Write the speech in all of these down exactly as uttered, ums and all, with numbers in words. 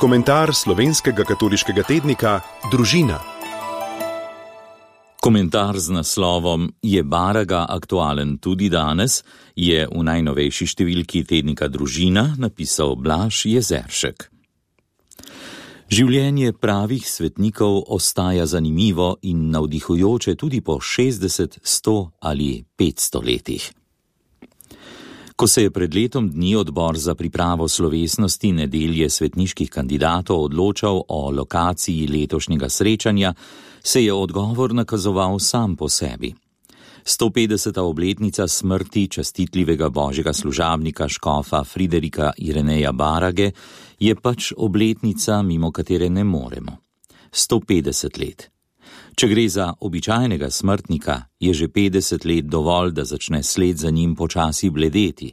Komentar slovenskega katoliškega tednika Družina. Komentar z naslovom Je Baraga aktualen tudi danes je v najnovejši številki tednika Družina napisal Blaž Jezeršek. Življenje pravih svetnikov ostaja zanimivo in navdihujoče tudi po šestdeset, sto ali petsto letih. Ko se je pred letom dni odbor za pripravo slovesnosti nedelje svetniških kandidatov odločal o lokaciji letošnjega srečanja, se je odgovor nakazoval sam po sebi. sto petdeseta obletnica smrti častitljivega božjega služabnika škofa Friderika Ireneja Barage je pač obletnica, mimo katere ne moremo. sto petdeset let. Če gre za običajnega smrtnika, je že petdeset let dovolj, da začne sled za njim počasi bledeti.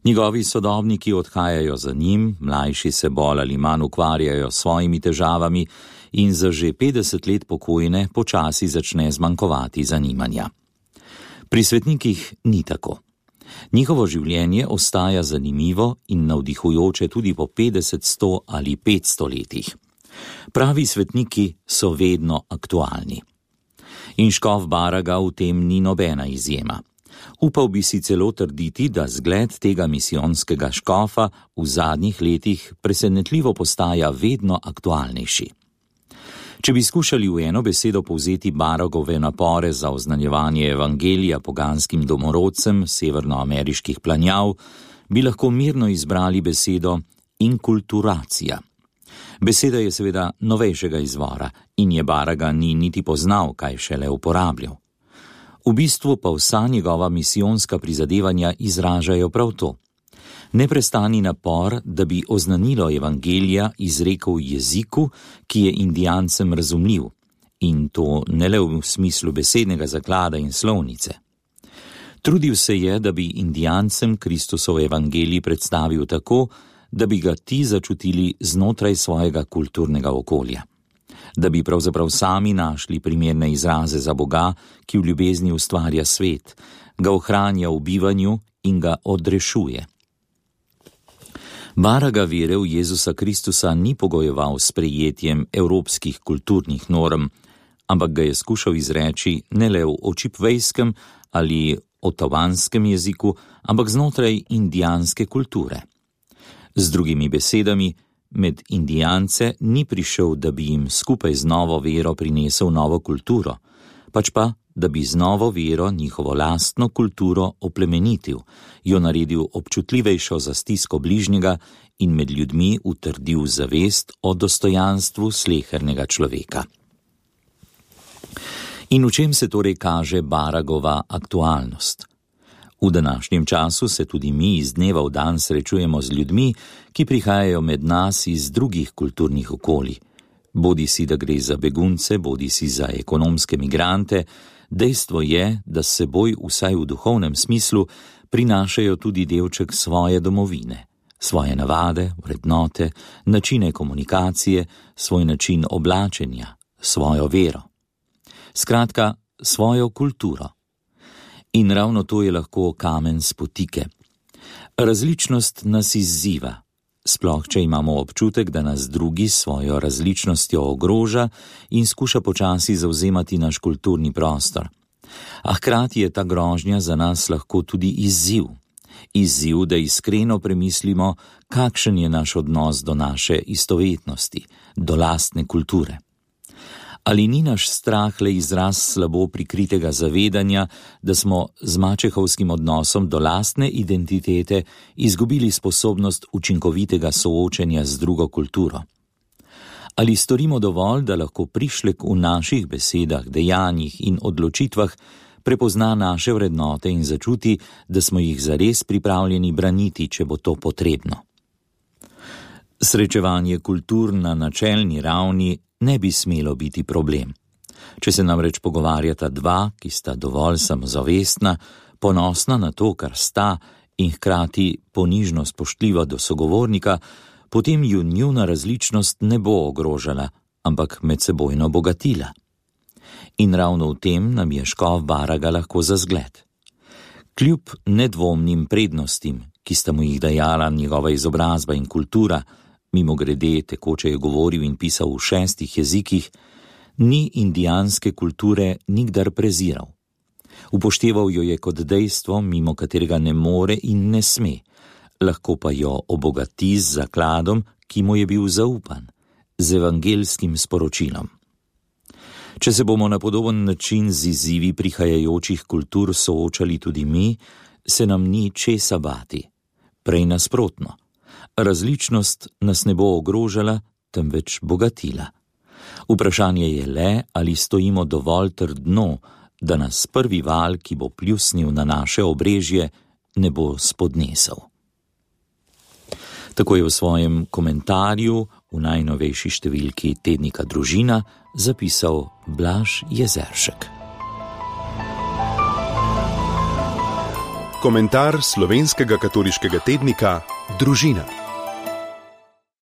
Njegovi sodobniki odhajajo za njim, mlajši se bolj ali manj ukvarjajo s svojimi težavami in za že petdeset let pokojne počasi začne zmanjkovati zanimanja. Pri svetnikih ni tako. Njihovo življenje ostaja zanimivo in navdihujoče tudi po petdeset, sto ali petsto letih. Pravi svetniki so vedno aktualni. In škof Baraga v tem ni nobena izjema. Upal bi si celo trditi, da zgled tega misijonskega škofa v zadnjih letih presenetljivo postaja vedno aktualnejši. Če bi skušali v eno besedo povzeti Baragove napore za oznanjevanje evangelija poganskim domorodcem severnoameriških planjav, bi lahko mirno izbrali besedo inkulturacija. Beseda je seveda novejšega izvora in je Baraga ni niti poznal, kaj šele uporabljal. V bistvu pa vsa njegova misijonska prizadevanja izražajo prav to. Neprestani napor, da bi oznanilo evangelija izrekel v jeziku, ki je indijancem razumljiv, in to ne le v smislu besednega zaklada in slovnice. Trudil se je, da bi indijancem Kristusov evangelij predstavil tako, da bi ga ti začutili znotraj svojega kulturnega okolja. Da bi pravzaprav sami našli primerne izraze za Boga, ki v ljubezni ustvarja svet, ga ohranja v bivanju in ga odrešuje. Baraga vere v Jezusa Kristusa ni pogojeval s sprejetjem evropskih kulturnih norm, ampak ga je skušal izreči ne le v očipvejskem ali otavanskem jeziku, ampak znotraj indijanske kulture. Z drugimi besedami, med indijance ni prišel, da bi jim skupaj z novo vero prinesel novo kulturo, pač pa, da bi z novo vero njihovo lastno kulturo oplemenitil, jo naredil občutljivejšo za stisko bližnjega in med ljudmi utrdil zavest o dostojanstvu slehernega človeka. In v čem se torej kaže Baragova aktualnost? V današnjem času se tudi mi iz dneva v dan srečujemo z ljudmi, ki prihajajo med nas iz drugih kulturnih okolij. Bodi si, da gre za begunce, bodi si za ekonomske migrante, dejstvo je, da s seboj vsaj v duhovnem smislu prinašajo tudi delček svoje domovine, svoje navade, vrednote, načine komunikacije, svoj način oblačenja, svojo vero. Skratka, svojo kulturo. In ravno to je lahko kamen spotike. Različnost nas izziva, sploh če imamo občutek, da nas drugi s svojo različnostjo ogroža in skuša počasi zavzemati naš kulturni prostor. A hkrati je ta grožnja za nas lahko tudi izziv. Izziv, da iskreno premislimo, kakšen je naš odnos do naše istovetnosti, do lastne kulture. Ali ni naš strah le izraz slabo prikritega zavedanja, da smo z mačehovskim odnosom do lastne identitete izgubili sposobnost učinkovitega soočenja z drugo kulturo? Ali storimo dovolj, da lahko prišlek v naših besedah, dejanjih in odločitvah prepozna naše vrednote in začuti, da smo jih zares pripravljeni braniti, če bo to potrebno? Srečevanje kultur na načelni ravni ne bi smelo biti problem. Če se namreč pogovarjata dva, ki sta dovolj samozavestna, ponosna na to, kar sta in hkrati ponižno spoštljiva do sogovornika, potem ju njuna različnost ne bo ogrožala, ampak medsebojno bogatila. In ravno v tem nam je škof Baraga lahko za zgled. Kljub nedvomnim prednostim, ki sta mu jih dajala njegova izobrazba in kultura, mimogrede tekoče je govoril in pisal v šestih jezikih, ni indijanske kulture nikdar preziral. Upošteval jo je kot dejstvo, mimo katerega ne more in ne sme, lahko pa jo obogati z zakladom, ki mu je bil zaupan, z evangelskim sporočilom. Če se bomo na podoben način z izzivi prihajajočih kultur soočali tudi mi, se nam ni česa bati. Prej nasprotno. Različnost nas ne bo ogrožala, temveč bogatila. Vprašanje je le, ali stojimo dovolj trdno, da nas prvi val, ki bo pljusnil na naše obrežje, ne bo spodnesel. Tako je v svojem komentarju v najnovejši številki tednika Družina zapisal Blaž Jezeršek. Komentar slovenskega katoliškega tednika Družina.